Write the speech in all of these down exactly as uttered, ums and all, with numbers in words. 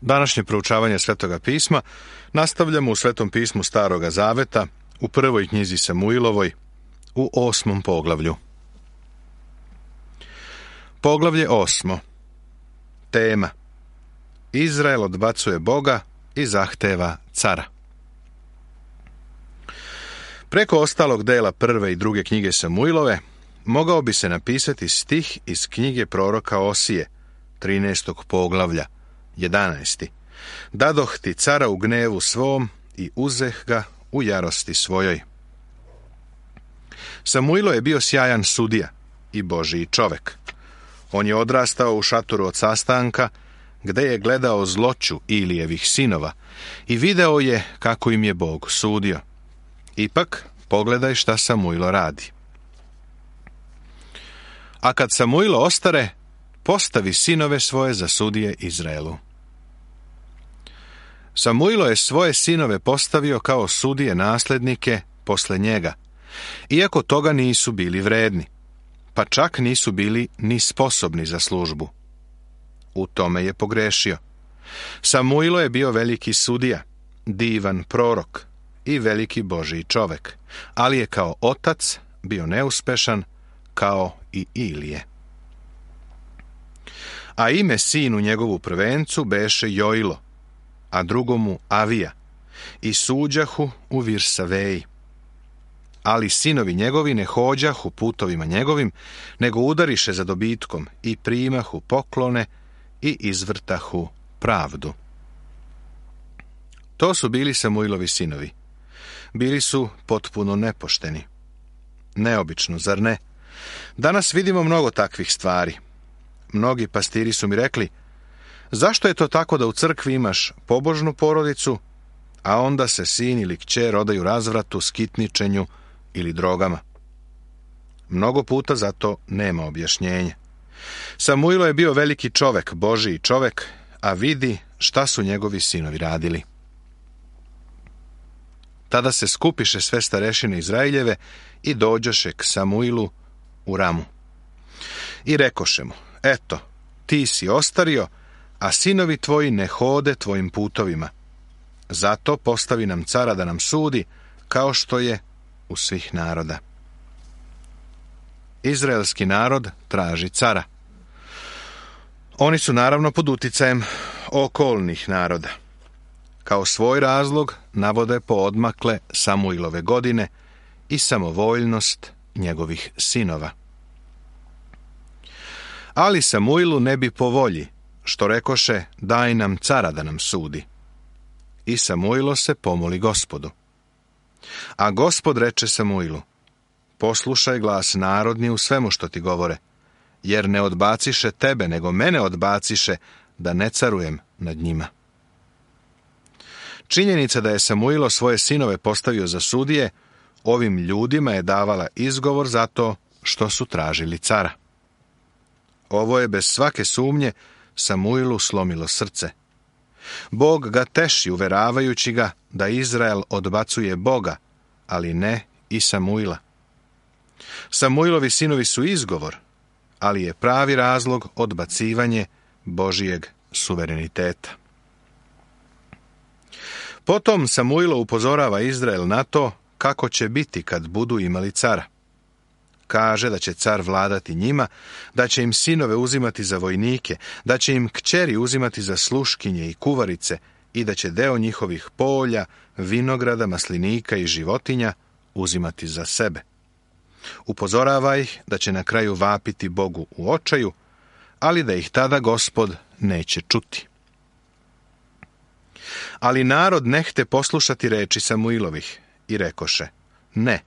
Današnje proučavanje Svetoga pisma nastavljamo u Svetom pismu Staroga zaveta, u prvoj knjizi Samuilovoj, u osmom poglavlju. Poglavlje osmo. Tema: Izrael odbacuje Boga i zahteva cara. Preko ostalog dela prve i druge knjige Samuilove mogao bi se napisati stih iz knjige proroka Osije, trinaestog poglavlja, jedanaesti. Dadoh ti cara u gnevu svom i uzeh ga u jarosti svojoj. Samuilo je bio sjajan sudija i Božiji čovek. On je odrastao u šatoru od sastanka, gde je gledao zloću Ilijevih sinova i video je kako im je Bog sudio. Ipak, pogledaj šta Samuilo radi. A kad Samuilo ostare, postavi sinove svoje za sudije Izraelu. Samuilo je svoje sinove postavio kao sudije naslednike posle njega, iako toga nisu bili vredni, pa čak nisu bili ni sposobni za službu. U tome je pogrešio. Samuilo je bio veliki sudija, divan prorok i veliki Božji čovek, ali je kao otac bio neuspešan kao i Ilije. A ime sinu njegovu prvencu beše Joilo, a drugomu Avija, i suđahu u Virsaveji. Ali sinovi njegovi ne hođahu putovima njegovim, nego udariše za dobitkom i primahu poklone i izvrtahu pravdu. To su bili Samuilovi sinovi. Bili su potpuno nepošteni. Neobično, zar ne? Danas vidimo mnogo takvih stvari. Mnogi pastiri su mi rekli: zašto je to tako da u crkvi imaš pobožnu porodicu, a onda se sin ili kćer odaju razvratu, skitničenju ili drogama? Mnogo puta za to nema objašnjenja. Samuilo je bio veliki čovek, Božiji čovek, a vidi šta su njegovi sinovi radili. Tada se skupiše sve starešine Izraeljeve i dođoše k Samuilu u Ramu. I rekoše mu: eto, ti si ostario, a sinovi tvoji ne hode tvojim putovima. Zato postavi nam cara da nam sudi, kao što je u svih naroda. Izraelski narod traži cara. Oni su naravno pod uticajem okolnih naroda. Kao svoj razlog navode poodmakle Samuilove godine i samovoljnost njegovih sinova. Ali Samuilu ne bi po volji, što rekoše: daj nam cara da nam sudi. I Samuilo se pomoli Gospodu. A Gospod reče Samuilu: poslušaj glas narodni u svemu što ti govore, jer ne odbaciše tebe, nego mene odbaciše da ne carujem nad njima. Činjenica da je Samuilo svoje sinove postavio za sudije, ovim ljudima je davala izgovor za to što su tražili cara. Ovo je bez svake sumnje Samuilu slomilo srce. Bog ga teši uveravajući ga da Izrael odbacuje Boga, ali ne i Samuila. Samuilovi sinovi su izgovor, ali je pravi razlog odbacivanje Božijeg suvereniteta. Potom Samuilo upozorava Izrael na to kako će biti kad budu imali cara. Kaže da će car vladati njima, da će im sinove uzimati za vojnike, da će im kćeri uzimati za sluškinje i kuvarice i da će deo njihovih polja, vinograda, maslinika i životinja uzimati za sebe. Upozorava ih da će na kraju vapiti Bogu u očaju, ali da ih tada Gospod neće čuti. Ali narod nehte poslušati reči Samuilovih i rekoše: ne,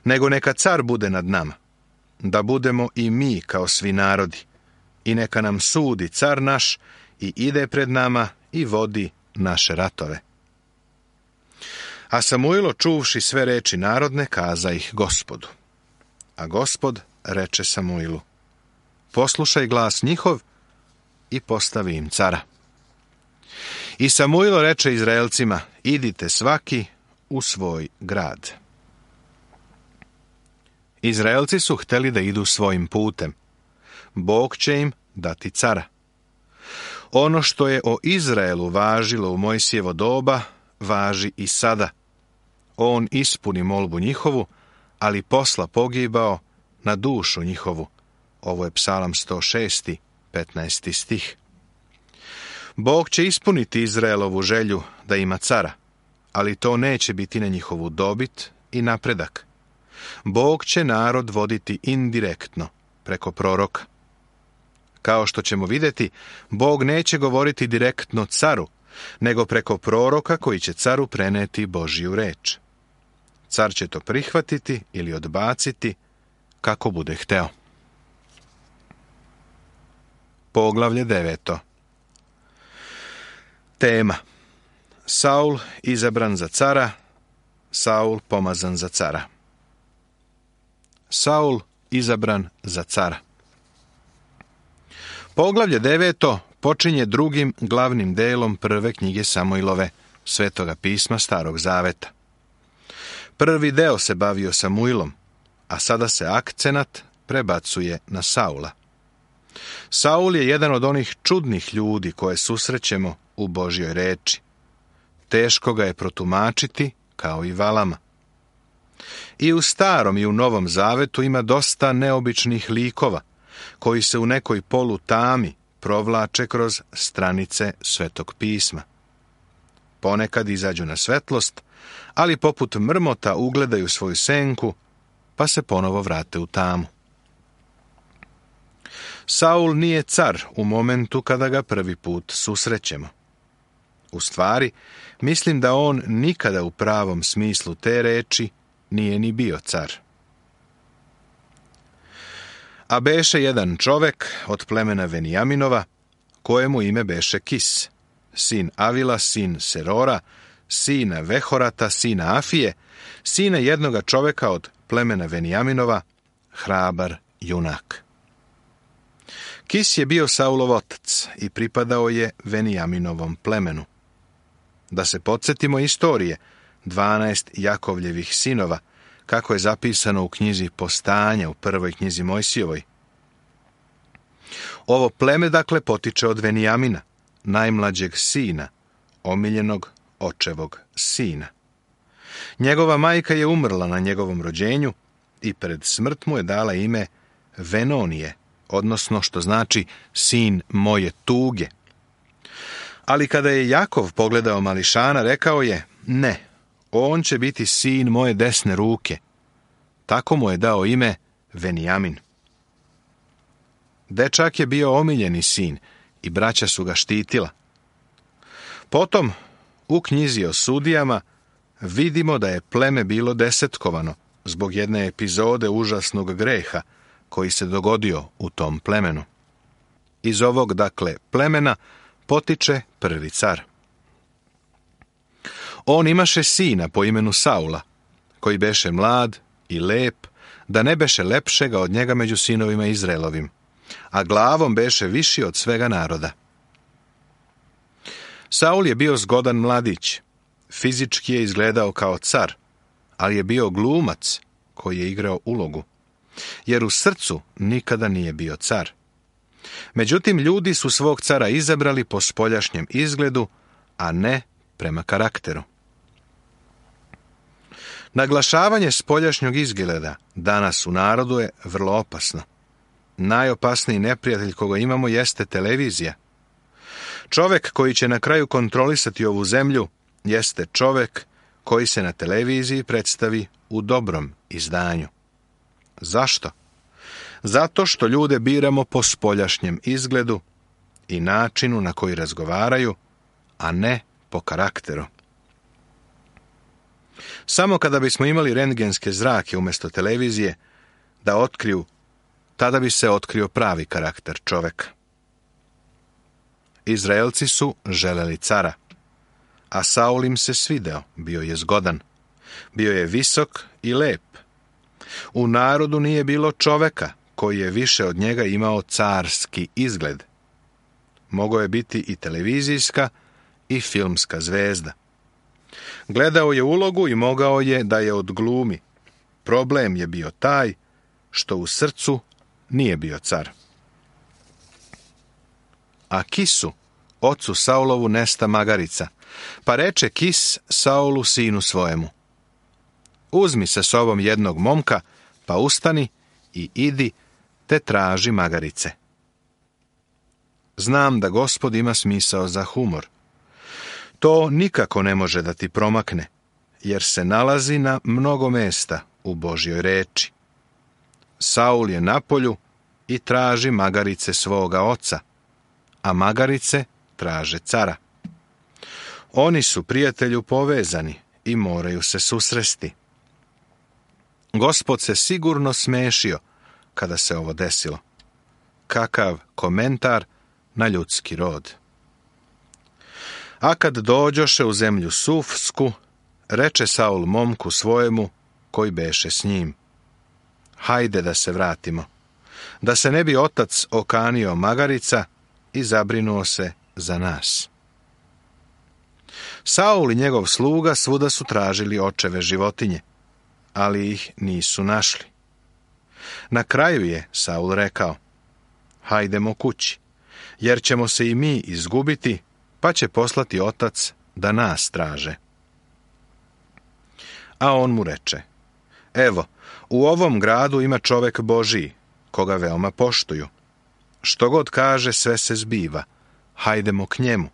nego neka car bude nad nama, da budemo i mi kao svi narodi, i neka nam sudi car naš i ide pred nama i vodi naše ratove. A Samuilo, čuvši sve reči narodne, kaza ih Gospodu. A Gospod reče Samuilu: poslušaj glas njihov i postavi im cara. I Samuilo reče Izraelcima: idite svaki u svoj grad. Izraelci su hteli da idu svojim putem. Bog će im dati cara. Ono što je o Izraelu važilo u Mojsijevo doba, važi i sada. On ispuni molbu njihovu, ali posla pogibao na dušu njihovu. Ovo je Psalam sto šest, petnaesti stih. Bog će ispuniti Izraelovu želju da ima cara, ali to neće biti na njihovu dobit i napredak. Bog će narod voditi indirektno, preko proroka. Kao što ćemo vidjeti, Bog neće govoriti direktno caru, nego preko proroka koji će caru preneti Božju reč. Car će to prihvatiti ili odbaciti kako bude hteo. Poglavlje deveto. Tema: Saul izabran za cara, Saul pomazan za cara. Saul izabran za cara. Poglavlje deveto počinje drugim glavnim delom prve knjige Samuilove, Svetoga pisma Starog zaveta. Prvi deo se bavio Samuilom, a sada se akcenat prebacuje na Saula. Saul je jedan od onih čudnih ljudi koje susrećemo u Božjoj reči. Teško ga je protumačiti, kao i Valama. I u Starom i u Novom zavetu ima dosta neobičnih likova, koji se u nekoj polutami provlače kroz stranice Svetog pisma. Ponekad izađu na svetlost, ali poput mrmota ugledaju svoju senku, pa se ponovo vrate u tamu. Saul nije car u momentu kada ga prvi put susrećemo. U stvari, mislim da on nikada u pravom smislu te reči nije ni bio car. A beše jedan čovek od plemena Venijaminova, kojemu ime beše Kis, sin Avila, sin Serora, sina Vehorata, sina Afije, sina jednoga čoveka od plemena Venijaminova, hrabar junak. Kis je bio Saulov otac i pripadao je Venijaminovom plemenu. Da se podsjetimo istorije dvanaest Jakovljevih sinova, kako je zapisano u knjizi Postanja u prvoj knjizi Mojsijevoj. Ovo pleme, dakle, potiče od Venijamina, najmlađeg sina, omiljenog očevog sina. Njegova majka je umrla na njegovom rođenju i pred smrt mu je dala ime Venonije, odnosno što znači sin moje tuge. Ali kada je Jakov pogledao mališana, rekao je: ne, on će biti sin moje desne ruke. Tako mu je dao ime Venijamin. Dečak je bio omiljeni sin i braća su ga štitila. Potom, u knjizi o sudijama, vidimo da je pleme bilo desetkovano zbog jedne epizode užasnog greha koji se dogodio u tom plemenu. Iz ovog, dakle, plemena potiče prvi car. On imaše sina po imenu Saula, koji beše mlad i lep, da ne beše lepšega od njega među sinovima Izraelovim, a glavom beše viši od svega naroda. Saul je bio zgodan mladić, fizički je izgledao kao car, ali je bio glumac koji je igrao ulogu, jer u srcu nikada nije bio car. Međutim, ljudi su svog cara izabrali po spoljašnjem izgledu, a ne prema karakteru. Naglašavanje spoljašnjeg izgleda danas u narodu je vrlo opasno. Najopasniji neprijatelj koga imamo jeste televizija. Čovek koji će na kraju kontrolisati ovu zemlju jeste čovek koji se na televiziji predstavi u dobrom izdanju. Zašto? Zato što ljude biramo po spoljašnjem izgledu i načinu na koji razgovaraju, a ne po karakteru. Samo kada bismo imali rentgenske zrake umjesto televizije da otkriju, tada bi se otkrio pravi karakter čoveka. Izraelci su želeli cara, a Saul im se svideo, bio je zgodan. Bio je visok i lep. U narodu nije bilo čoveka koji je više od njega imao carski izgled. Mogao je biti i televizijska i filmska zvezda. Gledao je ulogu i mogao je da je odglumi. Problem je bio taj što u srcu nije bio car. A Kisu, ocu Saulovu nesta magarica, pa reče Kis Saulu sinu svojemu: uzmi sa sobom jednog momka, pa ustani i idi te traži magarice. Znam da Gospod ima smisao za humor. To nikako ne može da ti promakne, jer se nalazi na mnogo mesta u Božjoj reči. Saul je na polju i traži magarice svoga oca, a magarice traže cara. Oni su, prijatelju, povezani i moraju se susresti. Gospod se sigurno smešio kada se ovo desilo. Kakav komentar na ljudski rod. A kad dođoše u zemlju Sufsku, reče Saul momku svojemu koji beše s njim: hajde da se vratimo, da se ne bi otac okanio magarica i zabrinuo se za nas. Saul i njegov sluga svuda su tražili očeve životinje, ali ih nisu našli. Na kraju je Saul rekao: hajdemo kući, jer ćemo se i mi izgubiti, pa će poslati otac da nas traže. A on mu reče: evo, u ovom gradu ima čovek Božiji, koga veoma poštuju. Što god kaže, sve se zbiva. Hajdemo k njemu.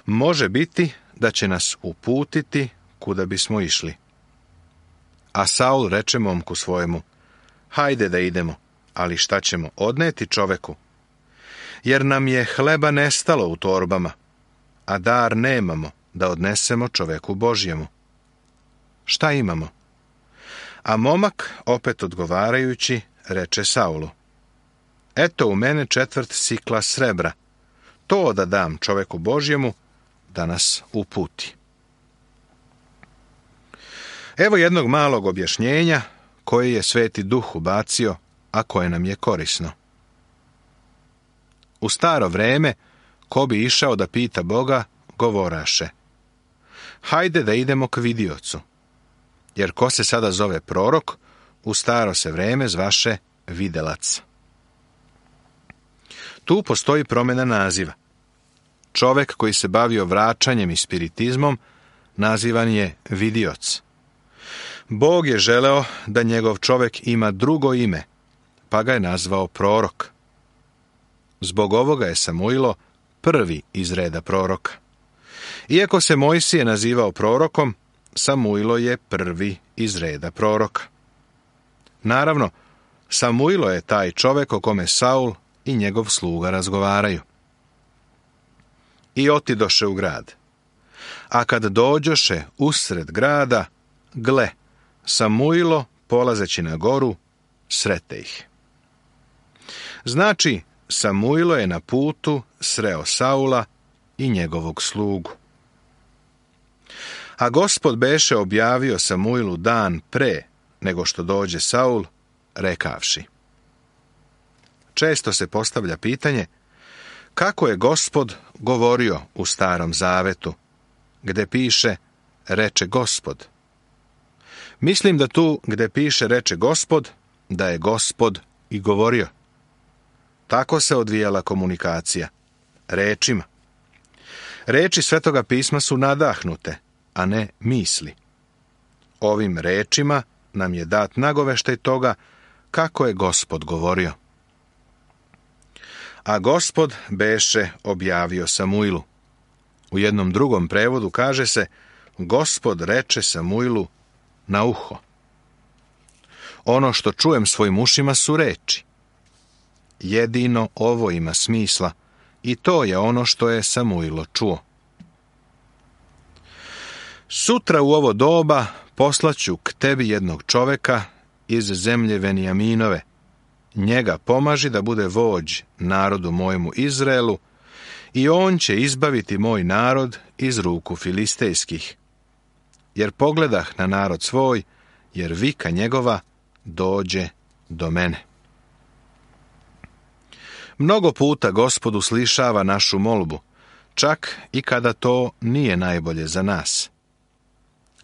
Može biti da će nas uputiti kuda bismo išli. A Saul reče momku svojemu: hajde da idemo, ali šta ćemo odneti čoveku? Jer nam je hleba nestalo u torbama, a dar nemamo da odnesemo čoveku Božjemu. Šta imamo? A momak, opet odgovarajući, reče Saulu: eto u mene četvrt sikla srebra, to da dam čoveku Božjemu da nas uputi. Evo jednog malog objašnjenja koje je Sveti Duh ubacio, a koje nam je korisno. U staro vreme, ko bi išao da pita Boga, govoraše: hajde da idemo k vidiocu, jer ko se sada zove prorok, u staro se vreme zvaše videlac. Tu postoji promjena naziva. Čovek koji se bavio vraćanjem i spiritizmom nazivan je vidioc. Bog je želeo da njegov čovek ima drugo ime, pa ga je nazvao prorok. Zbog ovoga je Samuilo prvi iz reda proroka. Iako se Mojsije nazivao prorokom, Samuilo je prvi iz reda proroka. Naravno, Samuilo je taj čovek o kome Saul i njegov sluga razgovaraju. I otidoše u grad. A kad dođoše usred grada, gle, Samuilo, polazeći na goru, srete ih. Znači, Samuilo je na putu sreo Saula i njegovog slugu. A Gospod beše objavio Samuilu dan pre nego što dođe Saul, rekavši. Često se postavlja pitanje kako je Gospod govorio u Starom Zavetu, gde piše reče Gospod. Mislim da tu gde piše reče Gospod, da je Gospod i govorio. Tako se odvijala komunikacija, rečima. Reči Svetoga pisma su nadahnute, a ne misli. Ovim rečima nam je dat nagoveštaj toga kako je Gospod govorio. A Gospod beše objavio Samuilu. U jednom drugom prevodu kaže se: Gospod reče Samuilu na uho. Ono što čujem svojim ušima su reči. Jedino ovo ima smisla i to je ono što je Samuilo čuo. Sutra u ovo doba poslaću k tebi jednog čoveka iz zemlje Venijaminove. Njega pomaži da bude vođ narodu mojemu Izraelu i on će izbaviti moj narod iz ruku filistejskih. Jer pogledah na narod svoj, jer vika njegova dođe do mene. Mnogo puta Gospod uslišava našu molbu, čak i kada to nije najbolje za nas.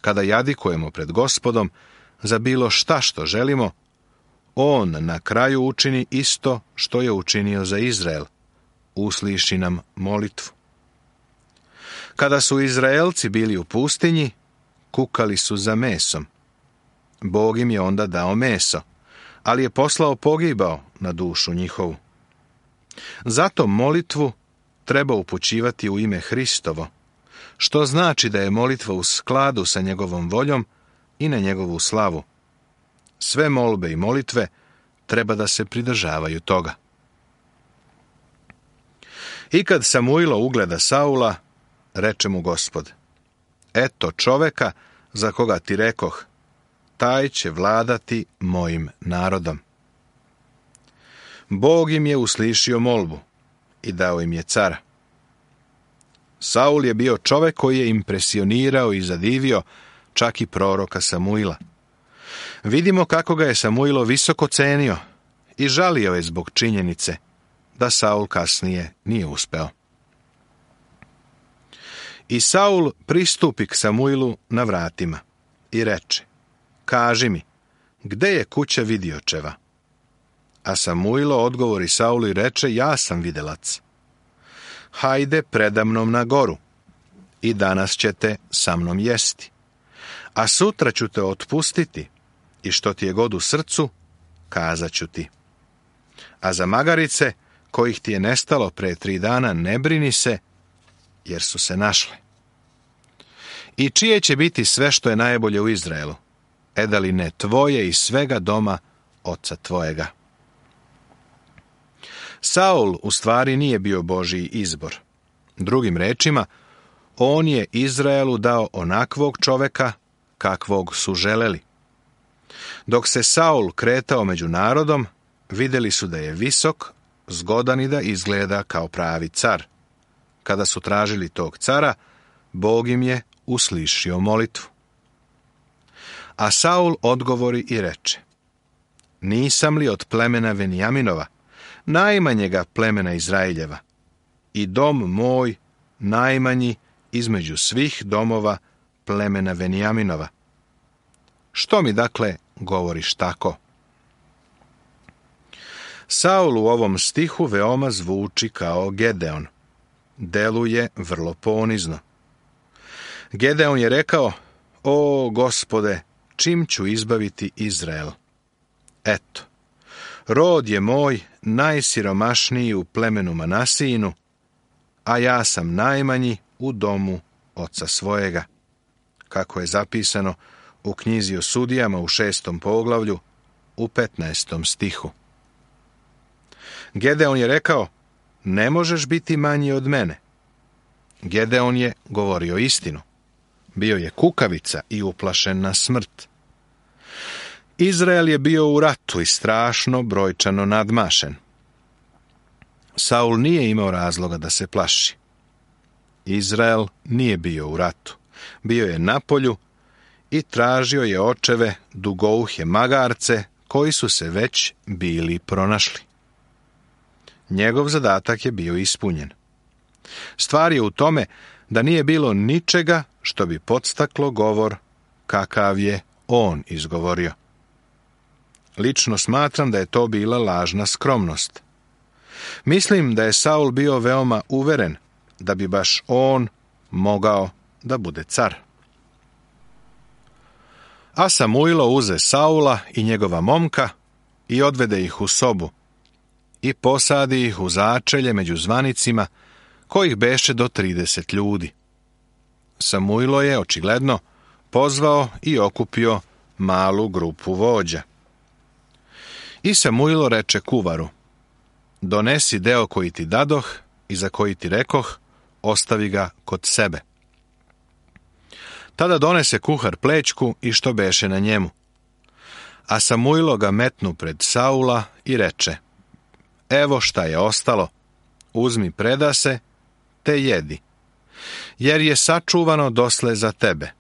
Kada jadikujemo pred Gospodom za bilo šta što želimo, on na kraju učini isto što je učinio za Izrael, usliši nam molitvu. Kada su Izraelci bili u pustinji, kukali su za mesom. Bog im je onda dao meso, ali je poslao pogibao na dušu njihovu. Zato molitvu treba upućivati u ime Hristovo, što znači da je molitva u skladu sa njegovom voljom i na njegovu slavu. Sve molbe i molitve treba da se pridržavaju toga. I kad Samuilo ugleda Saula, reče mu Gospod: eto čoveka za koga ti rekoh, taj će vladati mojim narodom. Bog im je uslišio molbu i dao im je cara. Saul je bio čovek koji je impresionirao i zadivio čak i proroka Samuila. Vidimo kako ga je Samuilo visoko cenio i žalio je zbog činjenice da Saul kasnije nije uspeo. I Saul pristupi k Samuilu na vratima i reče: kaži mi, gde je kuća vidiočeva? A Samuilo odgovori Saulu i reče: ja sam videlac. Hajde predamnom na goru i danas ćete sa mnom jesti, a sutra ću te otpustiti i što ti je god u srcu, kazat ću ti. A za magarice, kojih ti je nestalo pre tri dana, ne brini se, jer su se našle. I čije će biti sve što je najbolje u Izraelu? E da li ne tvoje i svega doma oca tvojega? Saul u stvari nije bio Božji izbor. Drugim rečima, on je Izraelu dao onakvog čoveka kakvog su želeli. Dok se Saul kretao među narodom, vidjeli su da je visok, zgodan i da izgleda kao pravi car. Kada su tražili tog cara, Bog im je uslišio molitvu. A Saul odgovori i reče: nisam li od plemena Venijaminova, najmanjega plemena Izraeljeva, i dom moj najmanji između svih domova plemena Venijaminova? Što mi dakle govoriš tako? Saul u ovom stihu veoma zvuči kao Gedeon. Deluje vrlo ponizno. Gedeon je rekao: o Gospode, čim ću izbaviti Izrael? Eto, rod je moj najsiromašniji u plemenu Manasijinu, a ja sam najmanji u domu oca svojega. Kako je zapisano u knjizi o sudijama u šestom poglavlju, u petnaestom stihu. Gedeon je rekao: ne možeš biti manji od mene. Gedeon je govorio istinu. Bio je kukavica i uplašen na smrt. Izrael je bio u ratu i strašno brojčano nadmašen. Saul nije imao razloga da se plaši. Izrael nije bio u ratu. Bio je na polju i tražio je očeve dugouhe magarce koji su se već bili pronašli. Njegov zadatak je bio ispunjen. Stvar je u tome da nije bilo ničega što bi podstaklo govor kakav je on izgovorio. Lično smatram da je to bila lažna skromnost. Mislim da je Saul bio veoma uveren da bi baš on mogao da bude car. A Samuilo uze Saula i njegova momka i odvede ih u sobu i posadi ih u začelje među zvanicima, kojih beše do trideset ljudi. Samuilo je, očigledno, pozvao i okupio malu grupu vođa. I Samuilo reče kuvaru: donesi deo koji ti dadoh i za koji ti rekoh, ostavi ga kod sebe. Tada donese kuhar plećku i što beše na njemu. A Samuilo ga metnu pred Saula i reče: evo šta je ostalo, uzmi predase, te jedi, jer je sačuvano dosle za tebe.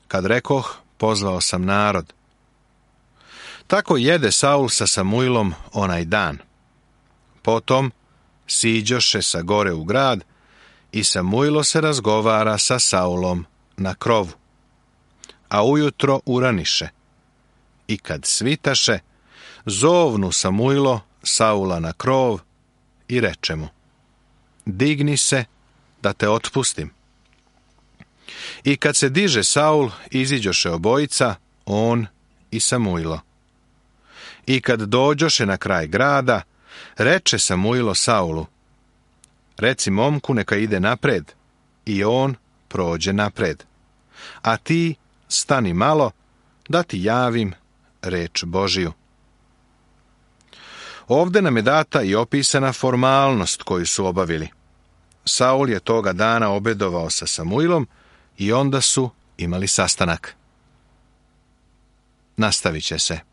Kad rekoh, pozvao sam narod. Tako jede Saul sa Samuilom onaj dan. Potom siđoše sa gore u grad i Samuilo se razgovara sa Saulom na krovu. A ujutro uraniše. I kad svitaše, zovnu Samuilo Saula na krov i reče mu: digni se da te otpustim. I kad se diže Saul, iziđoše obojica, on i Samuilo. I kad dođoše na kraj grada, reče Samuilo Saulu: reci momku neka ide napred, i on prođe napred. A ti stani malo, da ti javim reč Božiju. Ovde nam je data i opisana formalnost koju su obavili. Saul je toga dana obedovao sa Samuilom i onda su imali sastanak. Nastavit će se.